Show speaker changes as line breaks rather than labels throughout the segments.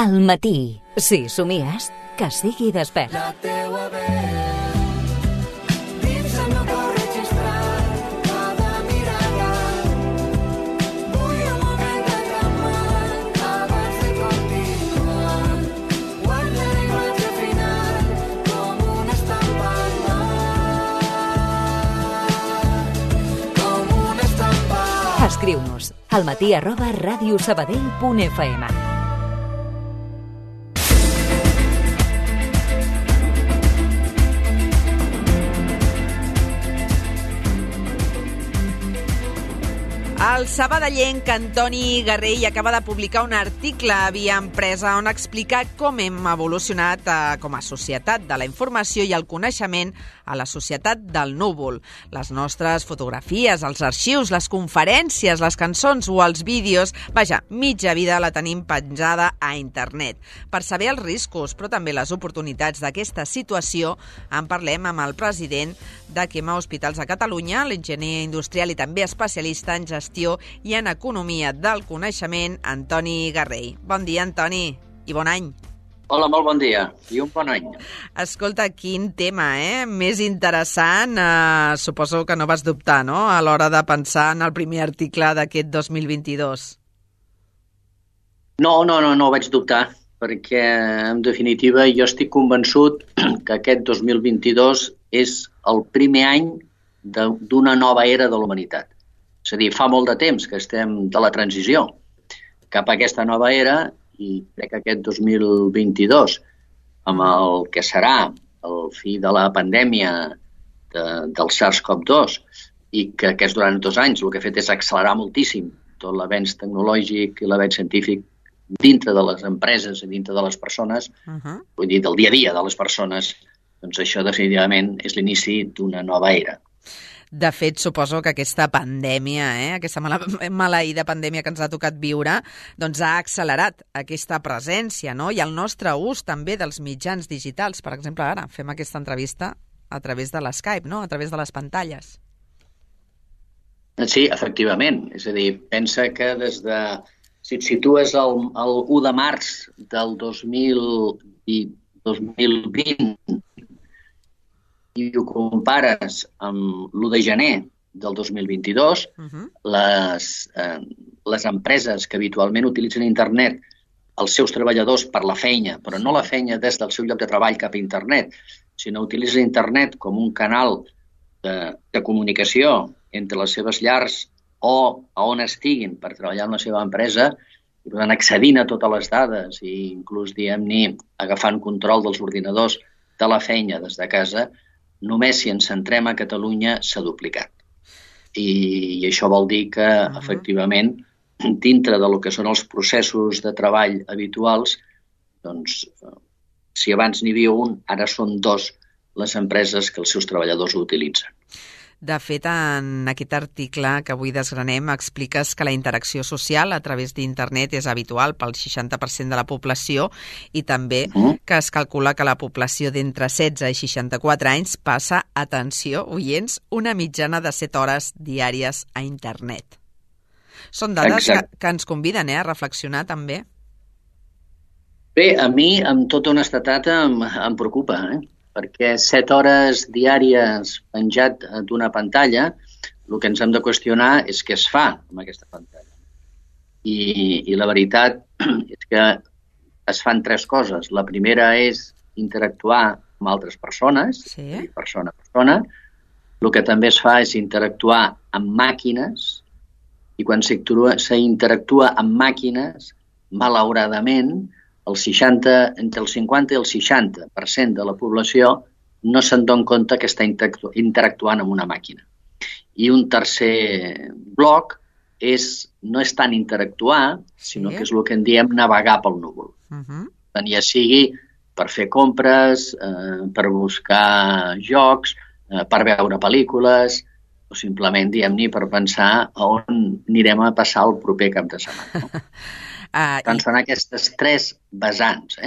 Al matí. Si somies, que sigui despert.
La teua veu dins el meu cor registrat cada mirada. Vull un moment de calmat abans de continuar. Guarda la imatge final com una estampa al mar. Com una estampa.
Escriu-nos almatí@radiosabadell.fm.
El sabadellenc Antoni Garrell acaba de publicar un article a Via Empresa on explica com hem evolucionat com a societat de la informació i el coneixement a la societat del núvol. Les nostres fotografies, els arxius, les conferències, les cançons o els vídeos, vaja, mitja vida la tenim penjada a internet. Per saber els riscos, però també les oportunitats d'aquesta situació, en parlem amb el president de Quema Hospitals a Catalunya, l'enginyer industrial i també especialista en gestió i en economia del coneixement, Antoni Garrell. Bon dia, Antoni, i bon any.
Hola, molt bon dia i un bon any.
Escolta, quin tema, més interessant. Suposo que no vas dubtar, no?, a l'hora de pensar en el primer article d'aquest 2022.
No vaig dubtar, perquè, en definitiva, jo estic convençut que aquest 2022 és el primer any d'una nova era de la humanitat. És a dir, fa molt de temps que estem de la transició cap a aquesta nova era i crec que aquest 2022, amb el que serà el fi de la pandèmia del SARS-CoV-2 i que aquests durant 2 anys el que ha fet és accelerar moltíssim tot l'avenç tecnològic i l'avenç científic dintre de les empreses i dintre de les persones, vull dir, del dia a dia de les persones, doncs això definitivament és l'inici d'una nova era.
De fet, suposo que aquesta pandèmia, aquesta maleïda pandèmia que ens ha tocat viure, doncs ha accelerat aquesta presència, no?, i el nostre ús també dels mitjans digitals. Per exemple, ara fem aquesta entrevista a través de l'Skype, no?, a través de les pantalles.
Sí, efectivament. És a dir, pensa que des de... Si et situes el 1 de març del 2020 i ho compares amb l'1 de gener del 2022, les empreses que habitualment utilitzen internet, els seus treballadors per la feina, però no la feina des del seu lloc de treball cap a internet, sinó utilitzen internet com un canal de comunicació entre les seves llars o a on estiguin per treballar en la seva empresa, i per tant accedint a totes les dades i inclús, diguem-ne, agafant control dels ordinadors de la feina des de casa, només si ens centrem a Catalunya s'ha duplicat. I això vol dir que, efectivament, dintre del que són els processos de treball habituals, doncs, si abans n'hi havia un, ara són 2 les empreses que els seus treballadors ho utilitzen.
De fet, en aquest article que avui desgranem, expliques que la interacció social a través d'internet és habitual pel 60% de la població i també que es calcula que la població d'entre 16 i 64 anys passa, atenció, oients, una mitjana de 7 hores diàries a internet. Són dades que ens conviden a reflexionar també.
Bé, a mi, amb tota honestedat, em preocupa, perquè 7 hores diàries penjat d'una pantalla, el que ens hem de qüestionar és què es fa amb aquesta pantalla. I la veritat és que es fan 3 coses. La primera és interactuar amb altres persones, persona a persona. El que també es fa és interactuar amb màquines, i quan s'interactua amb màquines, malauradament, entre el 50 i el 60% de la població no se'n dona compte que està interactuant amb una màquina. I un tercer bloc no és tant interactuar, sinó que és el que en diem navegar pel núvol. Ja sigui per fer compres, per buscar jocs, per veure pel·lícules, o simplement, diguem-ne, per pensar on anirem a passar el proper cap de setmana. Tant són aquestes 3 vessants,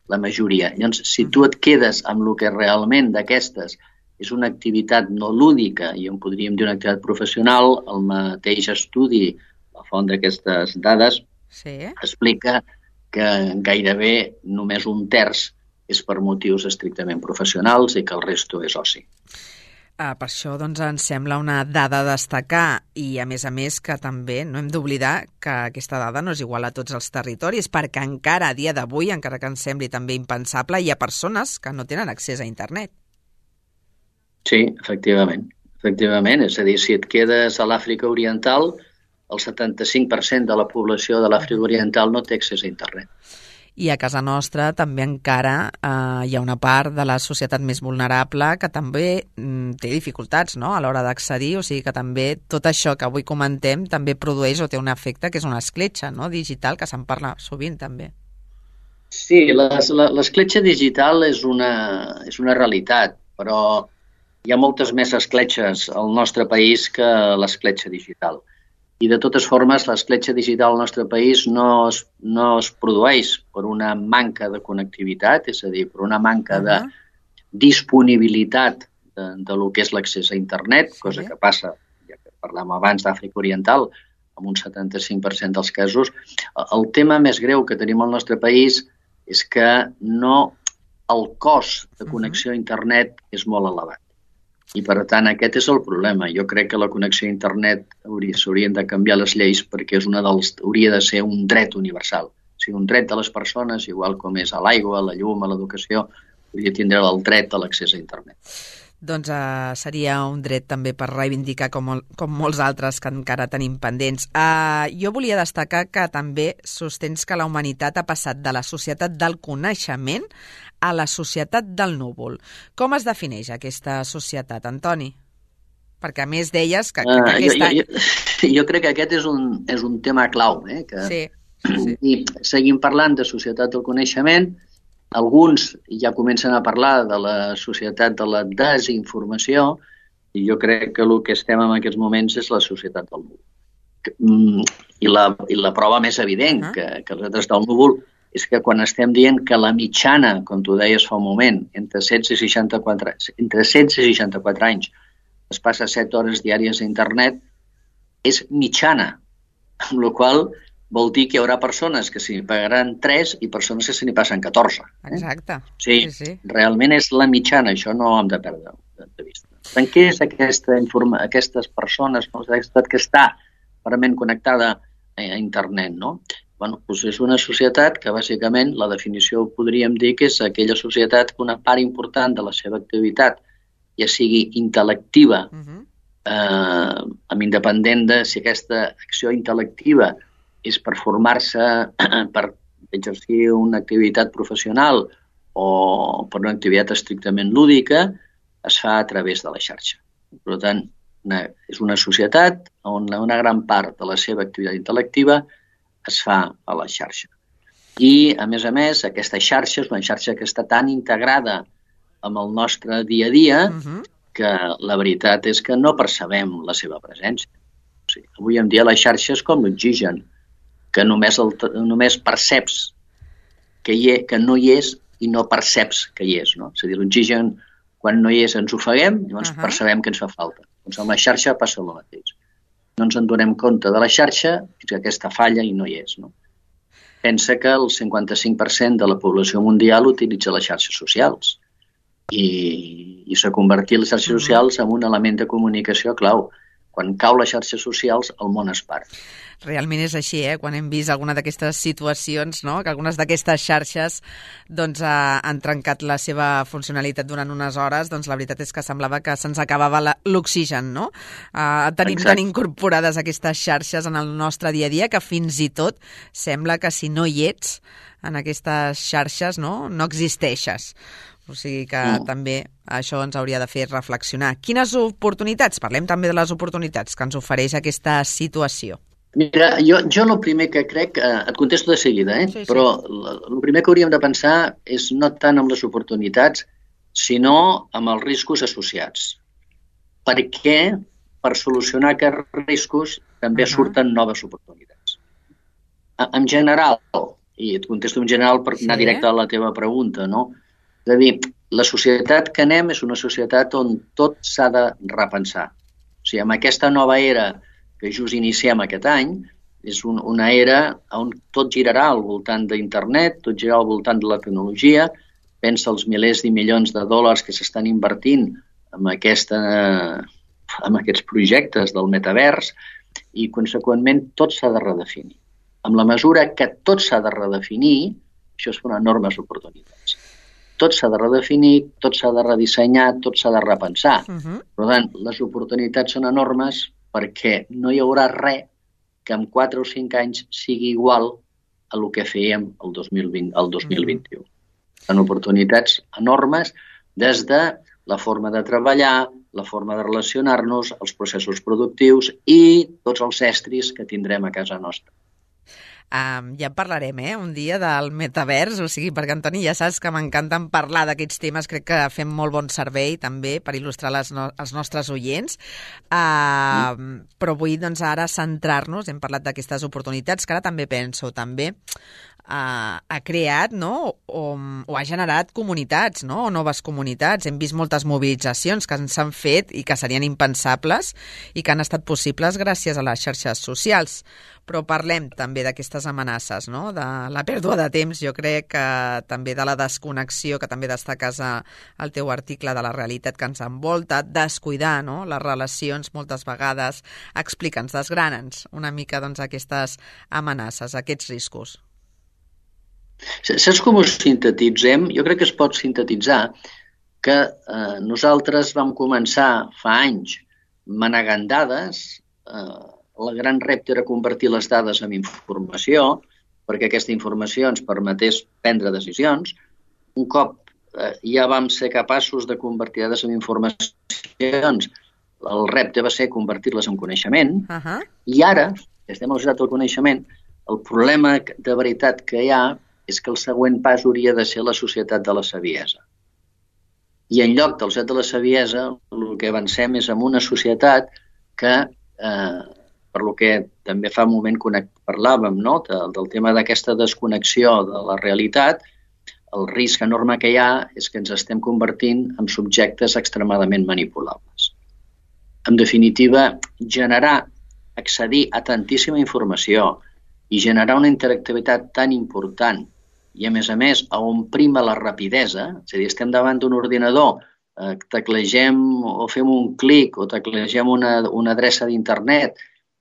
la majoria. Llavors, si tu et quedes amb el que realment d'aquestes és una activitat no lúdica i en podríem dir una activitat professional, el mateix estudi, la font d'aquestes dades, explica que gairebé només un terç és per motius estrictament professionals i que el resto és oci.
Per això doncs, ens sembla una dada a destacar i, a més, que també no hem d'oblidar que aquesta dada no és igual a tots els territoris, perquè encara a dia d'avui, encara que ens sembli també impensable, hi ha persones que no tenen accés a internet.
Sí, efectivament. És a dir, si et quedes a l'Àfrica Oriental, el 75% de la població de l'Àfrica Oriental no té accés a internet.
I a casa nostra també encara hi ha una part de la societat més vulnerable que també té dificultats, no?, a l'hora d'accedir, o sigui que també tot això que avui comentem també produeix o té un efecte que és una escletxa, no?, digital, que se'n parla sovint també.
Sí, l'escletxa digital és una realitat, però hi ha moltes més escletxes al nostre país que l'escletxa digital. I de totes formes, l'escletxa digital al nostre país no es produeix per una manca de connectivitat, és a dir, per una manca de disponibilitat de lo que és l'accés a internet, cosa que passa, ja que parlàvem abans d'Àfrica Oriental, amb un 75% dels casos. El tema més greu que tenim al nostre país és que el cost de connexió a internet és molt elevat. I, per tant, aquest és el problema. Jo crec que la connexió a internet s'haurien de canviar les lleis perquè hauria de ser un dret universal. O sigui, un dret de les persones, igual com és a l'aigua, a la llum, a l'educació, hauria de tindre el dret a l'accés a internet.
Doncs seria un dret també per reivindicar com molts altres que encara tenim pendents. Jo volia destacar que també sostens que la humanitat ha passat de la societat del coneixement a la societat del núvol. Com es defineix aquesta societat, Antoni? Perquè a més deies que aquest any...
Jo crec que aquest és un tema clau.
Sí.
I seguim parlant de societat del coneixement. Alguns ja comencen a parlar de la societat de la desinformació i jo crec que el que estem en aquests moments és la societat del núvol. I la prova més evident que nosaltres del núvol és que quan estem dient que la mitjana, com tu deies fa un moment, entre 16 i 64 anys es passa 7 hores diàries a internet, és mitjana, amb la qual vol dir que hi haurà persones que s'hi pagaran 3 i persones que se n'hi passen 14.
Exacte.
Sí. Realment és la mitjana, això no ho hem de perdre de vista. En què és aquestes persones, que està realment connectada a internet, no? Bueno, doncs és una societat que bàsicament la definició podríem dir que és aquella societat que una part important de la seva activitat, ja sigui intel·lectiva, amb independent de si aquesta acció intel·lectiva és per formar-se, per exercir una activitat professional o per una activitat estrictament lúdica, es fa a través de la xarxa. Per tant, és una societat on una gran part de la seva activitat intel·lectiva es fa a la xarxa. I, a més, aquesta xarxa és una xarxa que està tan integrada amb el nostre dia a dia que la veritat és que no percebem la seva presència. O sigui, avui en dia la xarxa és com l'oxigen, que només perceps que no hi és i no perceps que hi és. No? És a dir, l'oxigen, quan no hi és, ens ofeguem i llavors percebem que ens fa falta. Doncs amb la xarxa passa el mateix. No ens en donem compte de la xarxa fins que aquesta falla i no hi és. No? Pensa que el 55% de la població mundial utilitza les xarxes socials i s'ha convertit les xarxes socials en un element de comunicació clau. Quan cau les xarxes socials, el món es part.
Realment és així, quan hem vist alguna d'aquestes situacions, no? Que algunes d'aquestes xarxes doncs, han trencat la seva funcionalitat durant unes hores, doncs la veritat és que semblava que se'ns acabava l'oxigen, no? Tenim tan incorporades aquestes xarxes en el nostre dia a dia que fins i tot sembla que si no hi ets en aquestes xarxes no existeixes. O sigui que també això ens hauria de fer reflexionar. Quines oportunitats? Parlem també de les oportunitats que ens ofereix aquesta situació.
Mira, jo el primer que crec, et contesto de seguida,
Sí.
Però el primer que hauríem de pensar és no tant amb les oportunitats, sinó amb els riscos associats. Perquè per solucionar aquests riscos també surten noves oportunitats. En general, i et contesto en general per anar directe a la teva pregunta, no? És a dir, la societat que anem és una societat on tot s'ha de repensar. O sigui, amb aquesta nova era que just iniciem aquest any, és una era on tot girarà al voltant d'internet, tot girarà al voltant de la tecnologia. Pensa els milers i milions de dòlars que s'estan invertint en aquests projectes del metavers i, conseqüentment, tot s'ha de redefinir. Amb la mesura que tot s'ha de redefinir, això són enormes oportunitats. Tot s'ha de redefinir, tot s'ha de redissenyar, tot s'ha de repensar. Per tant, les oportunitats són enormes perquè no hi haurà res que en 4 o 5 anys sigui igual a el que fèiem el 2021. Són oportunitats enormes des de la forma de treballar, la forma de relacionar-nos, els processos productius i tots els estris que tindrem a casa nostra.
Ja en parlarem, un dia del metavers, o sigui, perquè, Antoni, ja saps que m'encanten parlar d'aquests temes, crec que fem molt bon servei també per il·lustrar els nostres oients, però vull doncs ara centrar-nos, hem parlat d'aquestes oportunitats, que ara també penso, també ha creat, no? o ha generat comunitats, no? O noves comunitats. Hem vist moltes mobilitzacions que s'han fet i que serien impensables i que han estat possibles gràcies a les xarxes socials. Però parlem també d'aquestes amenaces, no? De la pèrdua de temps, jo crec que també de la desconnexió, que també destaques al teu article, de la realitat que ens envolta, descuidar, no? Les relacions moltes vegades. Explica'ns, desgrana'ns una mica doncs, aquestes amenaces, aquests riscos.
Saps com ho sintetitzem? Jo crec que es pot sintetitzar que nosaltres vam començar fa anys manegant dades. El gran repte era convertir les dades en informació perquè aquesta informació ens permetés prendre decisions. Un cop ja vam ser capaços de convertir dades en informacions, el repte va ser convertir-les en coneixement. I ara, que estem al societat del coneixement, el problema de veritat que hi ha és que el següent pas hauria de ser la societat de la saviesa. I en lloc de la societat de la saviesa, el que avancem és en una societat que, per lo que també fa un moment parlàvem, no? Del tema d'aquesta desconnexió de la realitat, el risc enorme que hi ha és que ens estem convertint en subjectes extremadament manipulables. En definitiva, accedir a tantíssima informació i generar una interactivitat tan important i, a més, a on prima la rapidesa, és a dir, estem davant d'un ordinador, teclegem o fem un clic o teclegem una adreça d'internet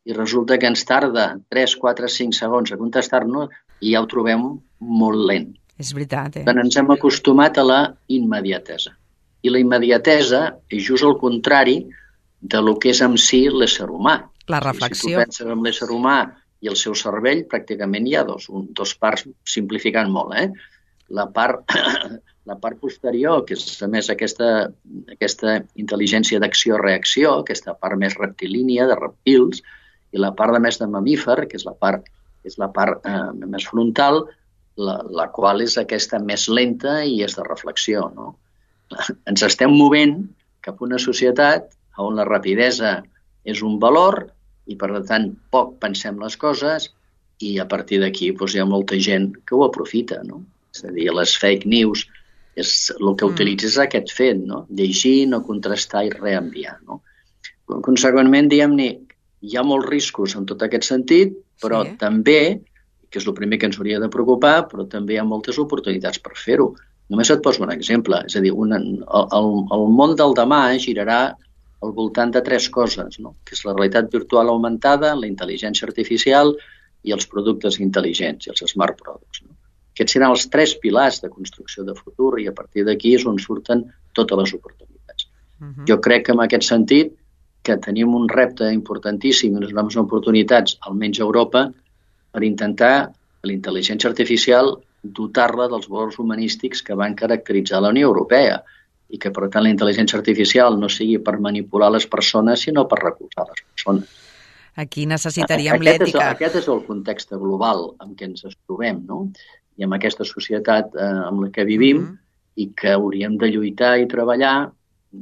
i resulta que ens tarda 3, 4, 5 segons a contestar-nos i ja ho trobem molt lent.
És veritat,
Tant ens hem acostumat a la immediatesa. I la immediatesa és just el contrari de lo que és en si l'ésser humà.
La reflexió.
Si tu penses en l'ésser humà i el seu cervell, pràcticament hi ha dos parts, simplificant molt. La part posterior, que és a més aquesta intel·ligència d'acció-reacció, aquesta part més reptilínia, de reptils, i la part més de mamífer, que és la part més frontal, la qual és aquesta més lenta i és de reflexió. No? Ens estem movent cap a una societat on la rapidesa és un valor i, per tant, poc pensem les coses i a partir d'aquí hi ha molta gent que ho aprofita. No? És a dir, les fake news, el que utilitza és aquest fet, no? Llegir, no contrastar i reenviar. No? Conseqüentment, diguem-ne, hi ha molts riscos en tot aquest sentit, però també, que és el primer que ens hauria de preocupar, però també hi ha moltes oportunitats per fer-ho. Només et poso un exemple. És a dir, el món del demà girarà al voltant de 3 coses, no? Que és la realitat virtual augmentada, la intel·ligència artificial i els productes intel·ligents, i els smart products. No? Aquests seran els 3 pilars de construcció de futur i a partir d'aquí és on surten totes les oportunitats. Jo crec que en aquest sentit que tenim un repte importantíssim i unes noves oportunitats, almenys a Europa, per intentar la intel·ligència artificial dotar-la dels valors humanístics que van caracteritzar la Unió Europea i que, per tant, la intel·ligència artificial no sigui per manipular les persones, sinó per recolzar les persones.
Aquí necessitaríem l'ètica.
Aquest és el context global en què ens trobem, no? I amb aquesta societat amb la que vivim i que hauríem de lluitar i treballar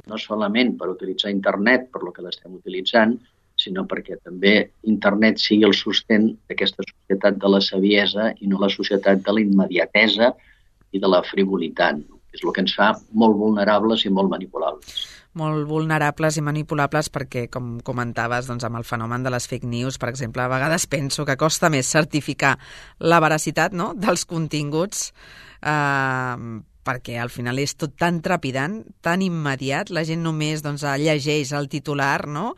no solament per utilitzar internet per lo que l'estem utilitzant, sinó perquè també internet sigui el sostén d'aquesta societat de la saviesa i no la societat de la immediatesa i de la frivolitat, no? És el que ens fa molt vulnerables i molt manipulables.
molt vulnerables i manipulables perquè, com comentaves, doncs, amb el fenomen de les fake news, per exemple, a vegades penso que costa més certificar la veracitat, no?, dels continguts, perquè al final és tot tan trepidant, tan immediat, la gent només doncs, llegeix el titular, no?,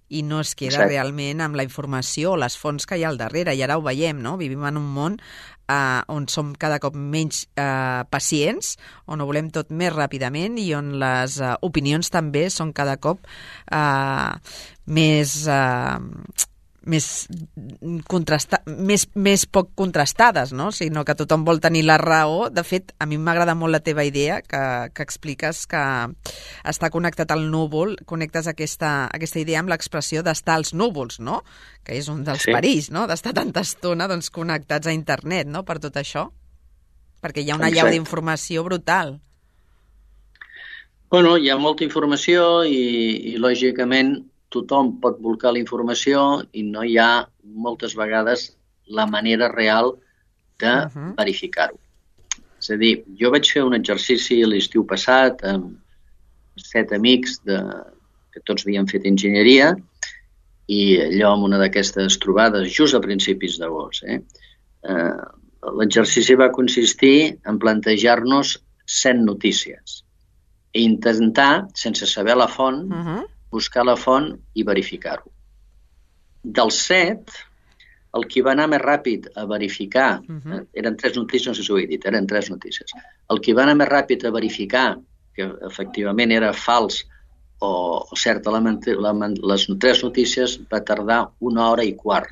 i no es queda realment amb la informació o les fonts que hi ha al darrere, i ara ho veiem, no?, vivim en un món on som cada cop menys pacients, on ho volem tot més ràpidament i on les opinions també són cada cop més poc contrastades, no? Sinó que tothom vol tenir la raó. De fet, a mi m'agrada molt la teva idea, que expliques que està connectat al núvol, connectes aquesta idea amb l'expressió d'estar als núvols, no? Que és un dels perills, no?, d'estar tanta estona doncs, connectats a internet, no?, per tot això. Perquè hi ha una allau d'informació brutal.
Bueno, hi ha molta informació i lògicament, tothom pot volcar la informació i no hi ha moltes vegades la manera real de verificar-ho. És a dir, jo vaig fer un exercici l'estiu passat amb 7 amics que tots havien fet enginyeria i allò amb una d'aquestes trobades just a principis d'agost. L'exercici va consistir en plantejar-nos 100 notícies i intentar, sense saber la font, buscar la font i verificar-ho. Dels 7, el que va anar més ràpid a verificar, eren 3 notícies, no sé si ho he dit, eren 3 notícies. El que va anar més ràpid a verificar que efectivament era fals o certa les 3 notícies va tardar 1 hora i quart.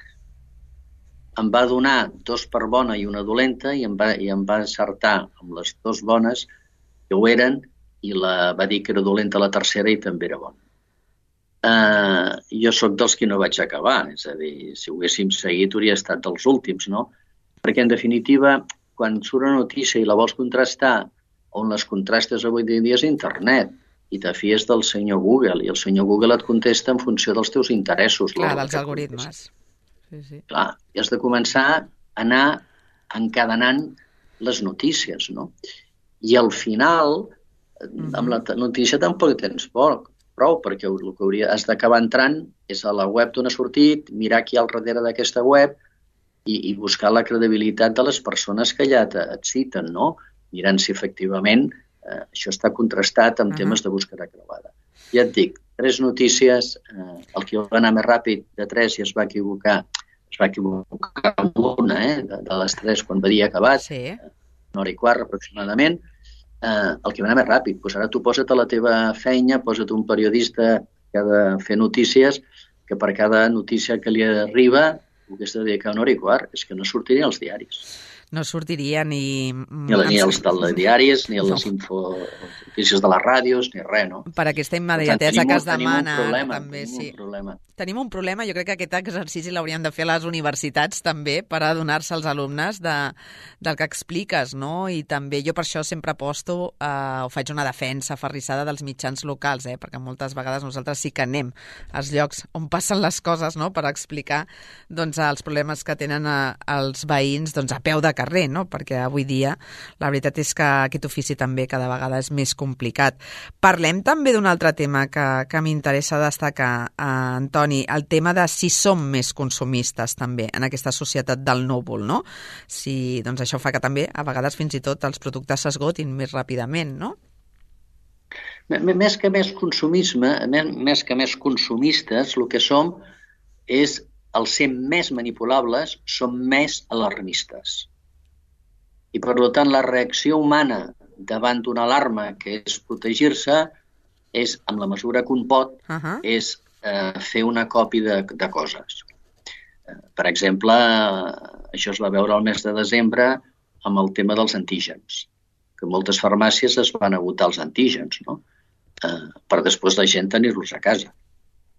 Em va donar 2 per bona i 1 dolenta i em va encertar amb les 2 bones que ho eren i va dir que era dolenta la tercera i també era bona. Jo sóc dels que no vaig acabar, és a dir, si ho haguéssim seguit hauria estat dels últims, no? Perquè, en definitiva, quan surt una notícia i la vols contrastar, on les contrastes avui dia és internet, i te fies del senyor Google, i el senyor Google et contesta en funció dels teus interessos.
Clar, dels algoritmes. Sí.
Clar, i has de començar a anar encadenant les notícies, no? I al final, amb la notícia tampoc tens prou, perquè el que has d'acabar entrant és a la web d'on ha sortit, mirar qui hi ha al darrere d'aquesta web i buscar la credibilitat de les persones que allà et citen, no? Mirant si efectivament això està contrastat amb temes de búsqueda creuada. Ja et dic, 3 notícies, el que va anar més ràpid de 3 i es va equivocar amb una, de les 3 quan havia acabat, 1 hora i quart aproximadament, el que va anar més ràpid. Doncs ara tu posa't a la teva feina, posa't un periodista que ha de fer notícies, que per cada notícia que li arriba ho hagués de dedicar 1 hora i quart. És que no sortiria als diaris.
No sortiria ni
als telediaris, ni a les notícies de les ràdios, ni res, no?
Per aquesta immediatesa que es demana.
Tenim un problema.
Tenim un problema, jo crec que aquest exercici l'haurien de fer a les universitats també per adonar-se als alumnes del que expliques, no? I també jo per això sempre aposto o faig una defensa aferrissada dels mitjans locals, perquè moltes vegades nosaltres sí que anem als llocs on passen les coses, no?, per explicar doncs, els problemes que tenen els veïns doncs, a peu de carrer, no? Perquè avui dia la veritat és que aquest ofici també cada vegada és més complicat. Parlem també d'un altre tema que m'interessa destacar, Antoni, el tema de si som més consumistes també en aquesta societat del núvol, no? Si, doncs això fa que també a vegades fins i tot els productes s'esgotin més ràpidament, no?
Més que més consumisme, més que més consumistes, el que som és el ser més manipulables, som més alarmistes. I, per tant, la reacció humana davant d'una alarma que és protegir-se és, amb la mesura que un pot, és fer una còpia de coses. Per exemple, això es va veure el mes de desembre amb el tema dels antígens, que moltes farmàcies es van agotar els antígens, no? Per després la gent tenir-los a casa.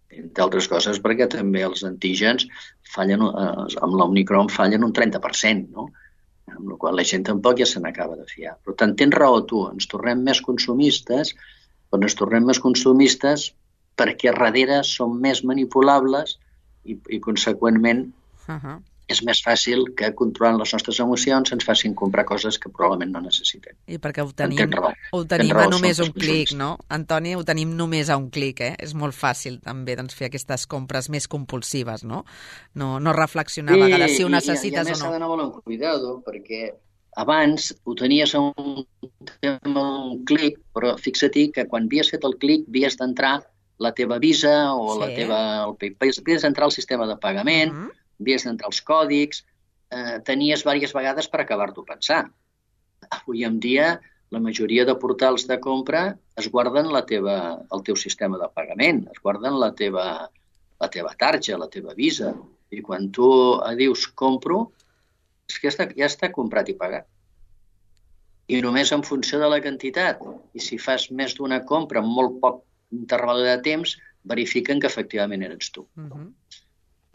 Entre altres coses perquè també els antígens fallen, amb l'Omicron fallen un 30%, no? Amb la qual la gent tampoc ja se n'acaba de fiar. Per tant, tens raó tu, ens tornem més consumistes, però ens tornem més consumistes perquè darrere som més manipulables i conseqüentment, és més fàcil que controlant les nostres emocions ens facin comprar coses que probablement no necessitem.
I perquè ho
Tens
tenim
raó,
a només
són
un clic, no? Antoni, ho tenim només a un clic, És molt fàcil també fer aquestes compres més compulsives, no? No reflexionar a vegades si ho necessites
o no. I a més s'ha d'anar molt amb cuidado, perquè abans ho tenies a un clic, però fixa-t'hi que quan havies fet el clic havies d'entrar la teva Visa o el PayPal, havies d'entrar al sistema de pagament, havies d'entrar als còdics, tenies diverses vegades per acabar-t'ho pensar. Avui en dia, la majoria de portals de compra es guarden el teu sistema de pagament, es guarden la teva tarja, la teva Visa. I quan tu dius compro, és que ja està comprat i pagat. I només en funció de la quantitat, i si fas més d'una compra en molt poc interval de temps, verifiquen que efectivament eres tu.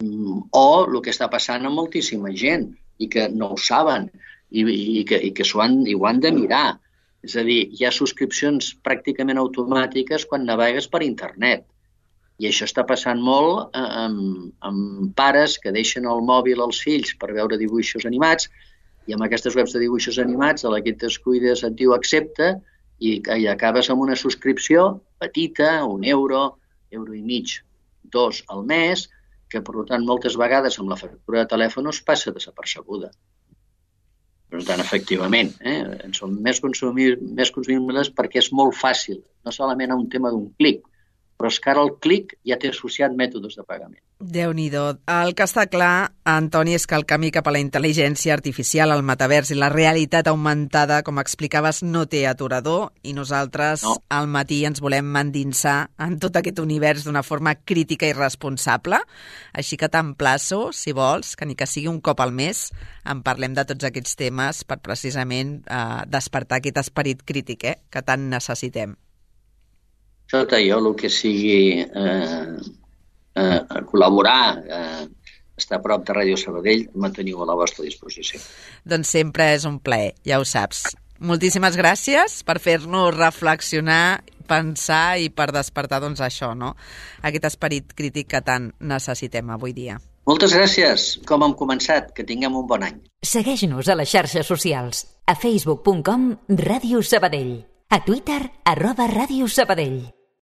O el que està passant amb moltíssima gent i que no ho saben i que ho han de mirar. És a dir, hi ha subscripcions pràcticament automàtiques quan navegues per internet. I això està passant molt amb pares que deixen el mòbil als fills per veure dibuixos animats i amb aquestes webs de dibuixos animats a la que et descuides et diu accepta i acabes amb una subscripció petita, €1, €1,50, $2 al mes, que per tant moltes vegades amb la factura de telèfon es passa desapercebuda. Per tant, efectivament, en som més consumibles perquè és molt fàcil, no solament un tema d'un clic, però és que ara el clic ja té associat mètodes de pagament.
Déu-n'hi-do. El que està clar, Antoni, és que el camí cap a la intel·ligència artificial, el metavers i la realitat augmentada, com explicaves, no té aturador i nosaltres al matí ens volem endinsar en tot aquest univers d'una forma crítica i responsable. Així que t'emplaço, si vols, que ni que sigui un cop al mes, en parlem de tots aquests temes per precisament despertar aquest esperit crític que tant necessitem.
Jo, el que sigui col·laborar, estar a prop de Ràdio Sabadell, manteniu a la vostra disposició.
Doncs sempre és un plaer, ja ho saps. Moltíssimes gràcies per fer-nos reflexionar, pensar i per despertar això, no? Aquest esperit crític que tant necessitem avui dia.
Moltes gràcies, com hem començat, que tinguem un bon any.
Segueix-nos a les xarxes socials, a facebook.com/Ràdio Sabadell, a Twitter @Ràdio Sabadell.